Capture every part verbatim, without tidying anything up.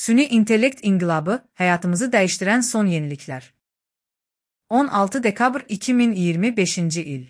Süni intellekt inqilabı, həyatımızı dəyişdirən son yeniliklər. on altı dekabr iki min iyirmi beşinci il.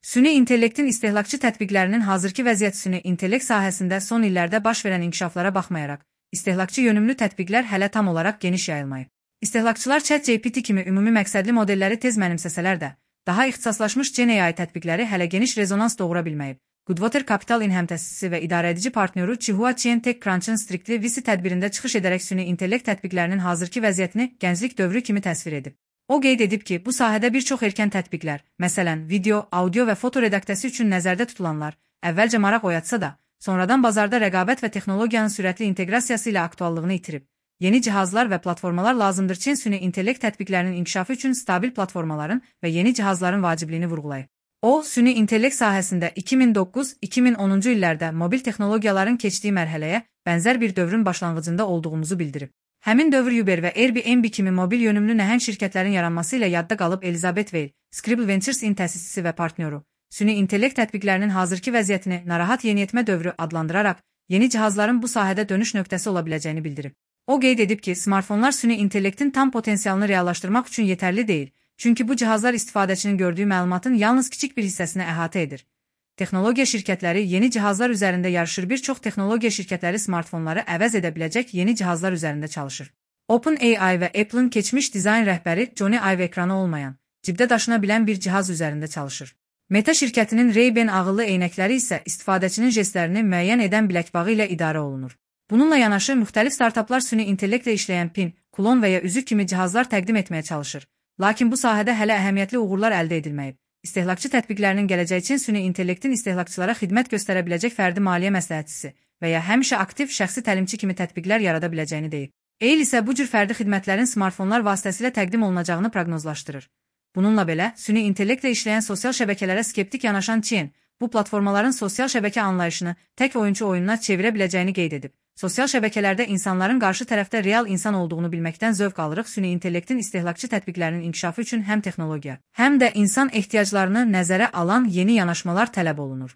Süni intellektin istehlakçı tətbiqlərinin hazırki vəziyyət süni intellekt sahəsində son illərdə baş verən inkişaflara baxmayaraq, istehlakçı yönümlü tətbiqlər hələ tam olaraq geniş yayılmayıb. İstehlakçılar ChatGPT kimi ümumi məqsədli modelləri tez mənimsəsələr də, daha ixtisaslaşmış Gen A I tətbiqləri hələ geniş rezonans doğura bilməyib. Goodwater Capital inhəmtəsisi və idarəedici partnyoru Chihua Chien TechCrunch'ın Strictly V C tədbirində çıxış edərək süni intellekt tətbiqlərinin hazırki vəziyyətini gənclik dövrü kimi təsvir edib. O qeyd edib ki, bu sahədə bir çox erkən tətbiqlər, məsələn, video, audio və foto redaksiyası üçün nəzərdə tutulanlar, əvvəlcə maraq oyatsa da, sonradan bazarda rəqabət və texnologiyanın sürətli inteqrasiyası ilə aktuallığını itirib. Yeni cihazlar və platformalar lazımdır Çin süni intellekt tətbiqlərinin inkişafı üçün stabil platformaların və yeni cihazların vacibliyini vurğulayıb. O, süni intellekt sahəsində iki min doqquz iki min onuncu illərdə mobil texnologiyaların keçdiyi mərhələyə bənzər bir dövrün başlanğıcında olduğumuzu bildirib. Həmin dövr Uber və Airbnb kimi mobil yönümlü nəhəng şirkətlərin yaranması ilə yadda qalıb Elizabeth Weil, Scribble Ventures'in təsisçisi və partnyoru, süni intellekt tətbiqlərinin hazırki vəziyyətini narahat yeniyetmə dövrü adlandıraraq, yeni cihazların bu sahədə dönüş nöqtəsi ola biləcəyini bildirib. O qeyd edib ki, smartfonlar süni intellektin tam potensialını reallaşdırmaq üçün yetərli deyil, çünki bu cihazlar istifadəçinin gördüyü məlumatın yalnız kiçik bir hissəsini əhatə edir. Texnologiya şirkətləri yeni cihazlar üzərində yarışır, bir çox texnologiya şirkətləri smartfonları əvəz edə biləcək yeni cihazlar üzərində çalışır. OpenAI və Apple'ın keçmiş dizayn rəhbəri Johnny Ive ekranı olmayan, cibdə daşına bilən bir cihaz üzərində çalışır. Meta şirkətinin Ray-Ban ağıllı eynəkləri isə istifadəçinin jestlərini müəyyən edən biləkbağı ilə idarə olunur. Bununla yanaşı, müxtəlif startaplar süni intellektlə işləyən pin, klon və ya üzük kimi cihazlar təqdim etməyə çalışır. Lakin bu sahədə hələ əhəmiyyətli uğurlar əldə edilməyib. İstehlakçı tətbiqlərinin gələcəyi üçün süni intellektin istehlakçılara xidmət göstərə biləcək fərdi maliyyə məsləhətçisi və ya həmişə aktiv şəxsi təlimçi kimi tətbiqlər yarada biləcəyini deyib. Eil isə bu cür fərdi xidmətlərin smartfonlar vasitəsilə təqdim olunacağını proqnozlaşdırır. Bununla belə, süni intellektlə işləyən sosial şəbəkələrə skeptik yanaşan Chien, bu platformaların sosial şəbəkə anlayışını tək oyunçu oyununa çevirə biləcəyini qeyd edib. Sosial şəbəkələrdə insanların qarşı tərəfdə real insan olduğunu bilməkdən zövq alırıq. Süni intellektin istehlakçı tətbiqlərinin inkişafı üçün həm texnologiya, həm də insan ehtiyaclarını nəzərə alan yeni yanaşmalar tələb olunur.